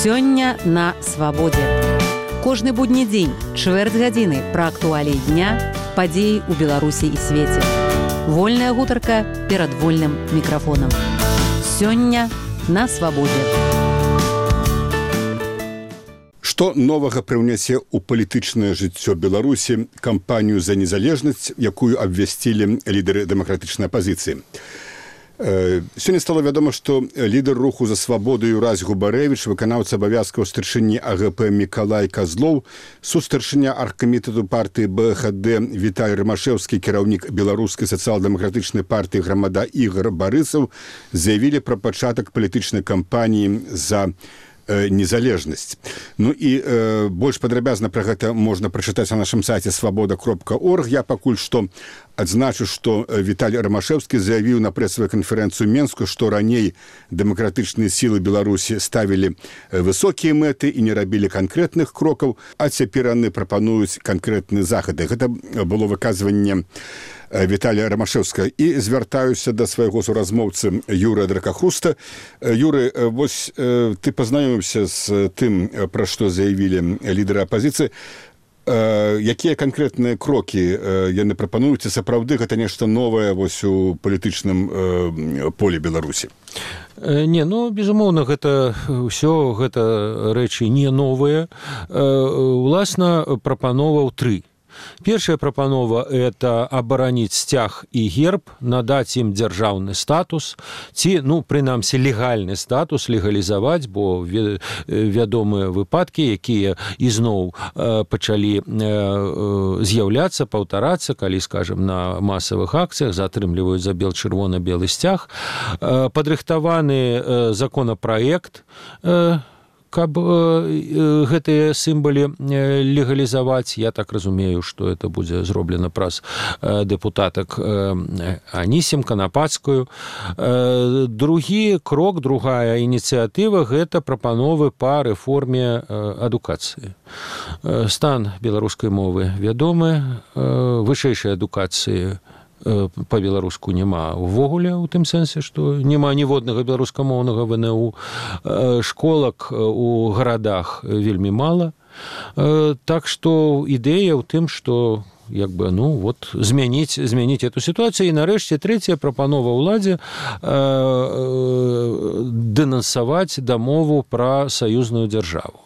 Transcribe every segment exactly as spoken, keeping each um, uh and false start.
Сёння на свабодзе. Кожны будні дзень, чвэрць гадзіны пра актуаліі дня, падзеі ў Беларусі і свеце. Вольная гутарка перад вольным мікрафонам. Сёння на свабодзе. Што новага прыўнясе ў палітычнае жыццё Беларусі кампанію за незалежнасць, якую абвясцілі лідары дэмакратычнай апазіцыі. Сёння стало вядома, што лідар руху за свабоду Юрась Губарэвіч, выканаўца абавязкаў старшыні АГП Мікалай Казлоў, сустаршыня аргкамітэту партыі БХД Віталій Рымашэўскі, кіраўнік беларускай сацыял-дэмакратычнай партыі Грамада Ігар Барысаў заявілі пра пачатак палітычнай кампаніі за незалежнасць. Ну і э, больш падрабязна пра гэта можна прачытаць на нашым сайце свабода кропка орг. Я пакуль што адзначу, што Віталій Рымашэўскі заявіў на прэсавую канферэнцыю Менску, што раней дэмакратычныя сілы Беларусі ставілі высокія мэты і не рабілі канкрэтных крокаў, а цяпер яны прапануюць канкрэтныя захады. Гэта было выказванне Віталія Рымашэўскага. І звяртаюся да свайго суразмоўцы Юрыя Дракахруста. Юры, вось ты пазнаёміўся з тым, пра што заявілі лідары апазіцыі. Якія канкрэтныя крокі яны прапануюць, і сапраўды гэта нешта новае вось у палітычным полі Беларусі? Не, ну, безумоўна, гэта ўсё гэта рэчы не новыя. Уласна, прапановаў тры. Першая прапанова – это абараніць сцяг і герб, надаць ім дзяржаўны статус, ці, ну, прынамсі, легальны статус легалізаваць, бо вядомыя выпадкі, якія ізноў пачалі з'яўляцца, паўтарацца, калі, скажем, на масавых акцыях затрымліваюць за бел-чырвона-белы сцяг. Падрыхтаваны законапраект, каб э, гэтыя сімвалы легалізаваць. Я так разумею, што это будзе зроблена праз э, дэпутатак э, Анісім Канапацкую. Э, другі крок, другая ініцыятыва – гэта прапановы па рэформе э, адукацыі. Э, стан беларускай мовы вядомы, э, вышэйшай адукацыі па-беларуску няма увогуле, у тым сэнсе, што няма ніводнага беларускамоўнага вэ эн у. Школак у гарадах вельмі мала. Так што ідэя ў тым, што як бы, ну, вот, змяніць, змяніць эту сітуацыю. І нарэшце трэцяя прапанова ўладзе дэнансаваць дамову пра саюзную дзяржаву.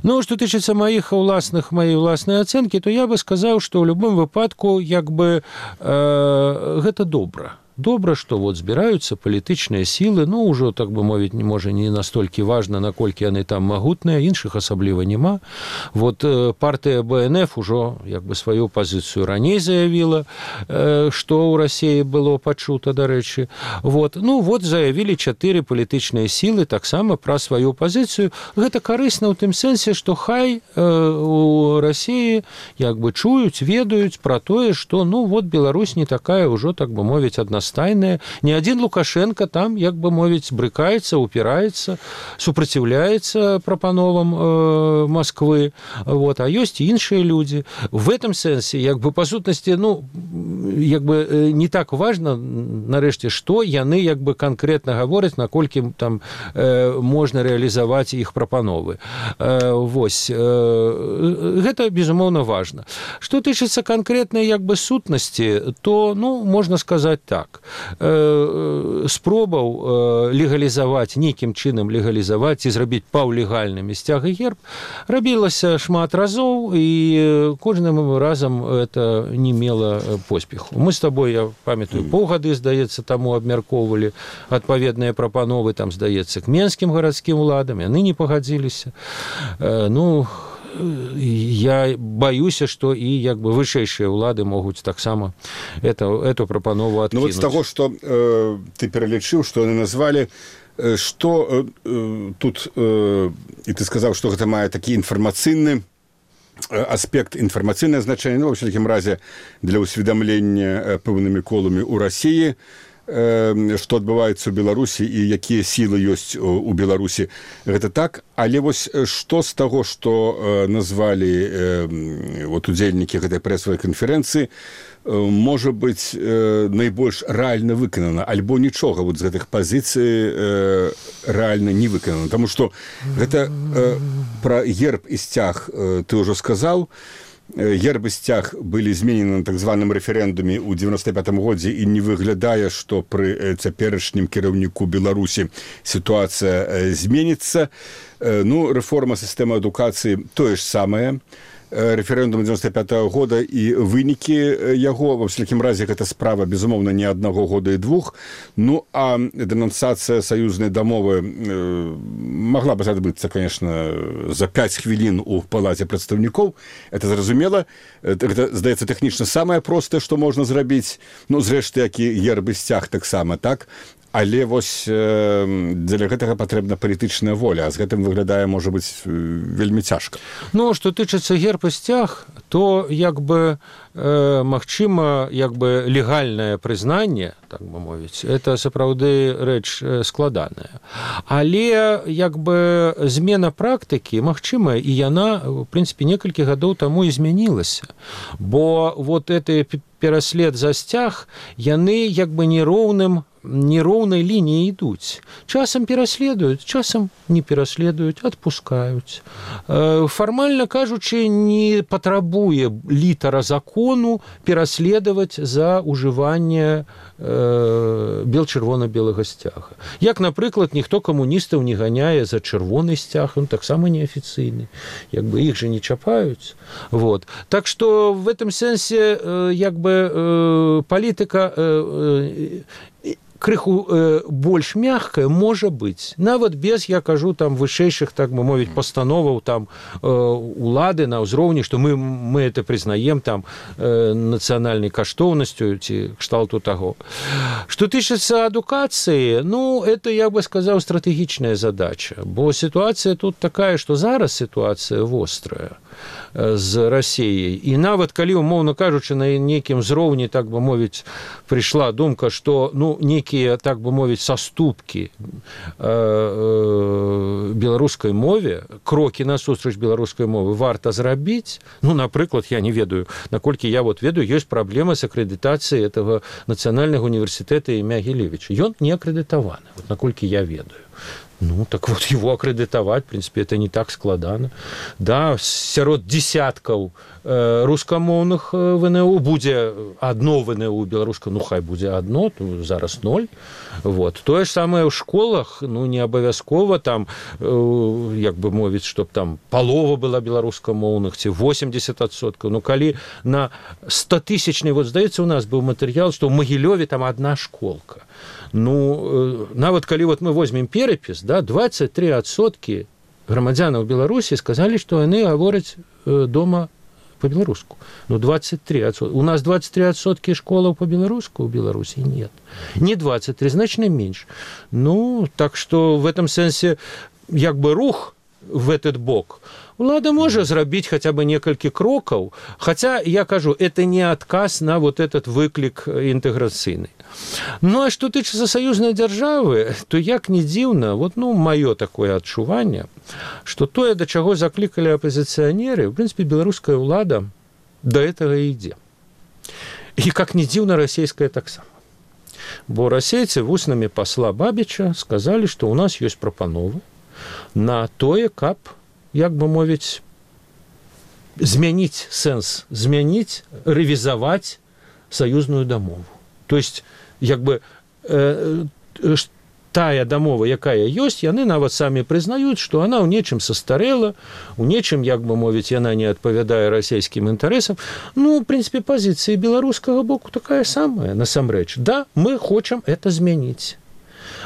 Ну, што тычыцца маіх уласных, маёй уласнай ацэнкі, то я бы сказаў, што ў любым выпадку, як бы, э, гэта добра. Добра, што вот збіраюцца палітычныя сілы, ну, ўжо, так бы мовіць, можа, не настолькі важна, наколькі яны там магутныя, іншых асабліва няма. Вот партыя бэ эн эф ужо, як бы, сваю пазіцыю раней заявіла, што ў Расіі было пачута, дарэчы. Вот, ну, вот заявілі чатыры палітычныя сілы таксама пра сваю пазіцыю. Гэта карысна ў тым сэнсе, што хай у Расіі, як бы, чуюць, ведаюць пра тое, што, ну, вот Беларусь не такая ўжо, так бы мовіць, адна стайная. Ні адзін Лукашенко там, як бы мовіць, брыкаецца, упіраецца, супраціўляецца прапановам э, Москвы. Вот. А ёсць і іншыя людзі. В этом сэнсе, як бы, па сутнасці, ну, як бы не так важна, нарэшце, што яны, як бы, канкрэтна гавораць, наколькі там э, можна рэалізаваць іх прапановы. Э, вось. Э, гэта, безумоўна, важна. Што тычыцца канкрэтнай, як бы, сутнасці, то, ну, можна сказаць так. Спробаў легалізаваць, нейкім чынам легалізаваць і зрабіць паўлегальнымі сцяг і герб рабілася шмат разоў, і кожным разам это не мела поспеху. Мы з табой, я памятаю, паўгады, здаецца, таму абмяркоўвалі адпаведныя прапановы, там, здаецца, к менскім гарадскім уладам, яны не пагадзіліся. Ну, я баюся, што і, як бы, вышэйшыя ўлады могуць таксама эту, эту прапанову адкінуць. Ну, вот з таго, што э, ты пералічыў, што яны назвалі, э, што э, тут, э, і ты сказаў, што гэта мае такі інфармацыйны аспект, інфармацыйнае значэнне, ну, ва ўсякім разе, для ўсведамлення пэўнымі коламі ў Расіі. што адбываецца ў Беларусі і якія сілы ёсць у Беларусі. Гэта так, але вось што з таго, што назвалі вот удзельнікі гэтай прэсавай канферэнцыі, можа быць найбольш рэальна выканана, альбо нічога вот з гэтых пазіцый рэальна не выканана. Таму што гэта пра герб і сцяг ты ўжо сказаў. Герб і сцяг былі зменены на так званым рэферэндуме ў дзевяноста пятым годзе і не выглядае, што пры цяперашнім кіраўніку Беларусі сітуацыя зменіцца. Ну, рэформа сістэмы адукацыі тое ж самае. Рэферэндум дзевяноста пятага года і вынікі яго, ва ўсякім разе, гэта справа, безумоўна, не аднаго года і двух. Ну, а дэнансацыя саюзнай дамовы магла б адбыцца, конечно, за пяць хвілін у палаце прадстаўнікоў. Это зразумела. Гэта, здаецца, тэхнічна самае простае, што можна зрабіць. Ну, зрэшты, як і герб і сцяг таксама, так? Але вось э, дзеля гэтага патрэбна палітычная воля, а з гэтым выглядае, можа быць, вельмі цяжка. Ну, што тычыцца герб і сцяг, то як бы э, магчыма, як бы легальнае прызнанне, так бы мовіць, это сапраўды рэч складаная. Але як бы змена практыкі магчымая, і яна, в прынцыпе, некалькі гадоў таму і змянілася. Бо вот гэты пераслед за сцяг, яны як бы нероўным нероўнай лініі ідуць. Часам пераследуюць, часам не пераследуюць, адпускаюць. Фармальна кажучы, не патрабуе літара закону пераследаваць за ўжыванне бел-чырвона-белага сцяга. Як, напрыклад, ніхто камуністаў не ганяе за чырвоны сцяг, он таксама неафіцыйны. Як бы іх же не чапаюць. Вот. Так што в этом сэнсе як бы палітыка крыху э, больш мягкая можа быць. Нават без, я кажу, там вышэйшых, так бы мовіць, пастановаў там э, улады на ўзроўні, што мы, мы это прызнаем там э, нацыянальнай каштоўнасцю ці кшталту таго. Што тычыцца адукацыі, ну, это, я бы сказаў, стратэгічная задача, бо сітуацыя тут такая, што зараз сітуацыя вострая з Расіяй. І нават калі, умоўна кажучы, на нейкім узроўні, так бы мовіць, прыйшла думка, што, ну, нейкія, так бы мовіць, саступкі беларускай мове, крокі насустрач беларускай мовы варта зрабіць. Ну, напрыклад, я не ведаю, наколькі я вот ведаю, ёсць праблема з акрэдытацыяй этого нацыянальнага універсітэта імя Гілевіча. Ён не акрэдытаваны, вот наколькі я ведаю. Ну, так вот, его аккредитовать, в принципе, это не так складано. Да, сярод десяткаў э, рускамоўных ВНУ будзе одно ВНУ беларускае, ну, хай будзе одно, то зараз ноль. Вот. Тое ж самае ў школах, ну, не абавязкова там, э, як бы мовіць, чтоб там палова была беларускамоўных, ці восемьдесят адсоткаў. Ну, калі на стотысячнай, вот, здаецца, у нас быў матэрыял, што ў Магілёве там одна школка. Ну, нават калі вот мы возьмем перапіс, да, двадцать три адсоткі грамадзянаў Беларусі сказалі, што яны гавораць дома по-беларуску. Ну, двадцать три адсоткі. У нас двадцать три адсоткі школаў по-беларуску у Беларусі нет. Не двадцать три, значна менш. Ну, так што в этом сэнсе як бы рух в этот бок улада можа зрабіць хаця бы некалькі крокаў, хаця, я кажу, это не адказ на вот этот выклік інтэграцыйны. Ну, а што тычыцца саюзнай дзяржавы, то як не дзіўна, вот, ну, маё такое адчуванне, што тое, да чаго заклікалі апазіцыянеры, в прынцыпе, беларуская ўлада да гэтага ідзе. І, как не дзіўна, расійская таксама. Бо расейцы вуснамі пасла Бабіча сказалі, што ў нас ёсць прапановы на тое, каб, як бы мовіць, змяніць сэнс, змяніць, рэвізаваць саюзную дамову. То есть, як бы, э, тая дамова, якая ёсць, яны нават самі прызнаюць, што она ў нечым састарэла, у нечым, як бы мовіць, яна не адпавядае расійскім інтарэсам. Ну, в прынцыпе, пазіцыя беларускага боку такая самая, насамрэч. Да, мы хочам это змяніць.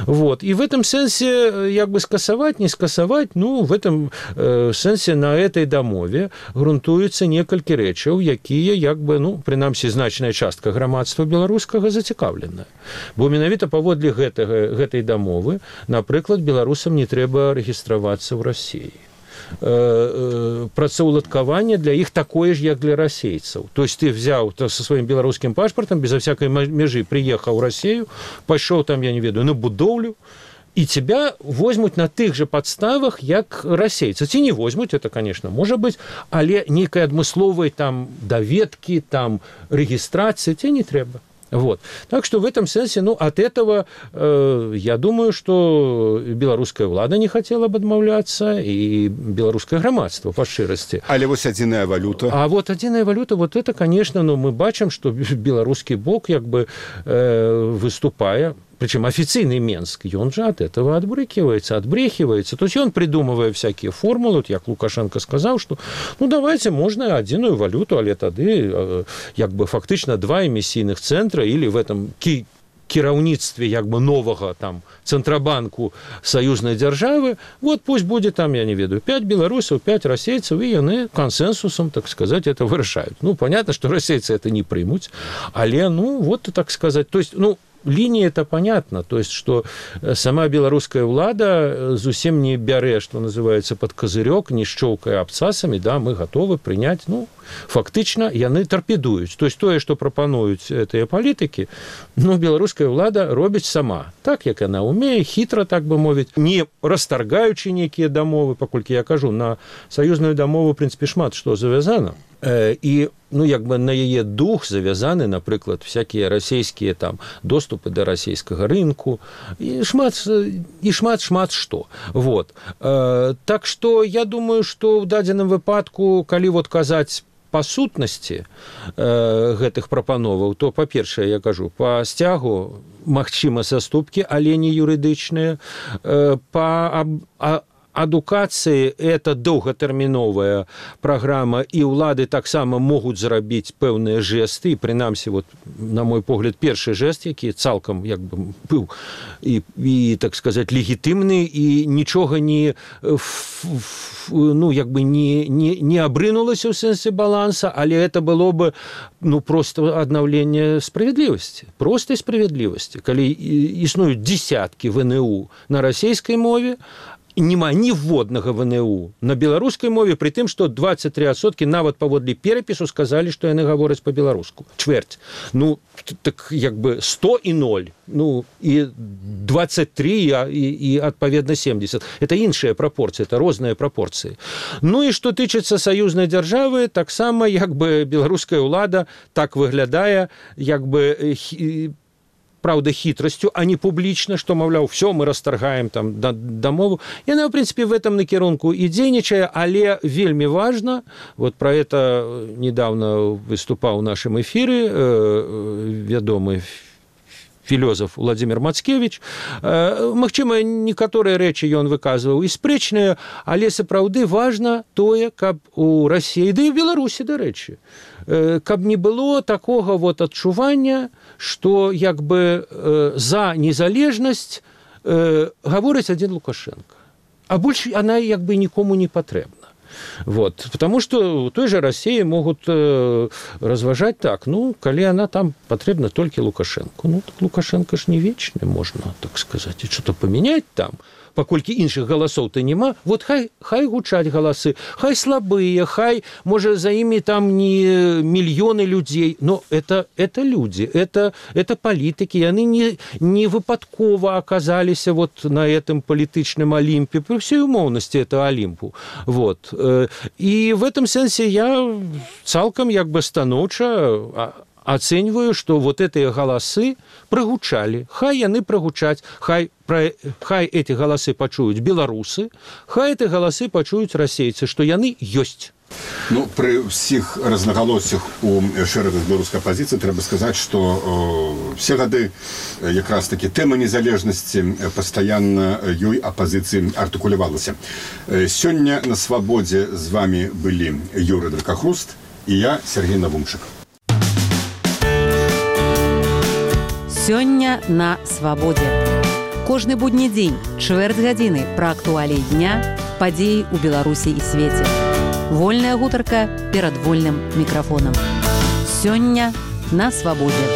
Вот. И в этом сенсе, як бы скасаваць, не скасаваць, ну, в этом э, сенсе на этой дамове грунтуецца некалькі рэчаў, якія, як бы, ну, прынамсі, значная частка грамадства беларускага зацікаўленая. Бо менавіта паводле гэтага, гэтай дамовы, напрыклад, беларусам не трэба рэгістравацца ў Расіі. э, працаўладкаванне для іх такое ж, як для расейцаў. То есть ты взяў то, со сваім беларускім пашпартам, безо всякой межы прыехаў у Расію, пайшоў там, я не ведаю, на будоўлю, и тебя возьмут на тых же подставах, як расейцы. Ці не возьмут, это, конечно, может быть, але нейкай адмысловай там даведкі, там регистрации тебе не трэба. Вот. Так что в этом смысле, ну, от этого, э, я думаю, что белорусская влада не хотела бы отмовляться, и белорусское громадство, по шчырасці. Але вот адзіная валюта. А вот адзіная валюта, вот это, конечно, ну, мы бачим, что белорусский бок, как бы, э, выступая, причем официальный Минск, и он же от этого отбрыкивается, отбрехивается. То есть он, придумывая всякие формулы, вот як Лукашенко сказал, что ну давайте можно одиную валюту, але тады як бы фактично два эмісійных центра или в этом ки кіраўніцтве як бы нового там центробанку союзной державы, вот пусть будет там, я не ведаю, пять белорусов, пять расейцев, и яны консенсусом, так сказать, это вырашают. Ну, понятно, что расейцы это не примут, але, ну, вот, так сказать, то есть, ну, линия это понятно, то есть, что сама белорусская влада зусім не бярэ, что называется, под козырек, не щелкая абцасами, да, мы готовы принять, ну, фактично, яны торпедуют. То есть, тое, что пропонуют этыя политики, ну, белорусская влада робіць сама. Так, як она умее, хитро, так бы мовить, не расторгаючи некие дамовы, поколькі я кажу, на союзную дамову, в принципе, шмат что завязано. І, ну, як бы на яе дух завязаны, напрыклад, всякие расійскія там доступы до расійскага рынку і шмат і шмат шмат што. Вот. Так что я думаю, что в дадзеным выпадку, калі вот казаць па сутнасці э, гэтых прапановаў, то, па-першае, я кажу, па сцягу магчыма саступкі, але не юрыдычныя, э, па а, адукацыі это доўгатэрміновая праграма, і ўлады таксама могуць зрабіць пэўныя жэсты, і прынамсі, вот, на мой погляд, першы жэст, які цалкам як бы быў і, і так сказаць, легітымны, і нічога не ну, як бы не, не, не абрынулася ў сэнсе баланса, але это было бы ну, просто аднаўленне справядлівасці, простай справядлівасці. Калі існуюць дзесяткі вэ эн у на расійскай мове, нема ніводнага вэ эн у на беларускай мове, пры тым, што двадцать три адсоткі нават паводле перапісу сказалі, што яны гавораць па-беларуску. Чвэрць. Ну, так як бы сто і ноль. Ну, і двадцать три, і, і адпаведна семьдесят. Это іншыя прапорцыі, это розныя прапорцыі. Ну, і што тычыцца саюзнай дзяржавы, таксама, як бы, беларуская ўлада так выглядае, як бы, правда, хитростью, а не публично, что, мовляв, все, мы расторгаем там дамову. Яна, в принципе, в этом накірунку и дзейнічае, але вельмі важно, вот про это недавно выступал в нашем эфире э, вядомый філёзаф Владимир Мацкевич. Магчыма, некаторыя рэчы ён выказваў і спрэчныя, але сапраўды важна тое, каб у Расіі, да і в Беларусі, дарэчы, каб не было такога вот адчування, што як бы за незалежнасць гаворыць адзін Лукашенко. А больш она як бы нікому не патрэбна. Вот. Потому что в той же России могут э, разважать так, ну, коли она там потребна только Лукашенко. Ну, так Лукашенко ж не вечный, можно так сказать, и что-то поменять там. Паколькі іншых галасоў-то нема, вот хай, хай гучаць галасы, хай слабыя, хай, можа, за імі там не мільёны людзей, но это, это люди, это, это палітыкі, яны не, не выпадкова аказаліся вот на этом палітычным Олімпе, при всей умоўнасці это Олімпу. Вот. І в этом сэнсе я цалкам як бы станоўча оцениваю, что вот эти голосы прогучали. Хай яны прогучаць, хай, про, хай эти голосы пачуюць беларусы, хай эти голосы пачуюць расейцы, что яны ёсць. Ну, при всіх рознаголоссях у шэрагах беларускай апозіцыі трэба сказаць, што э, все гады якраз таки тэма незалежнасці пастаянна ёй апозіцыі артыкулявалася. Сёння на свабодзе з вами былі Юрый Дракахруст і я, Сергей Навумчык. Сёння на свабодзе. Кожны будні дзень, чвэрць гадзіны пра актуаліі дня, падзеі ў Беларусі і свеце. Вольная гутарка перад вольным мікрафонам. Сёння на свабодзе.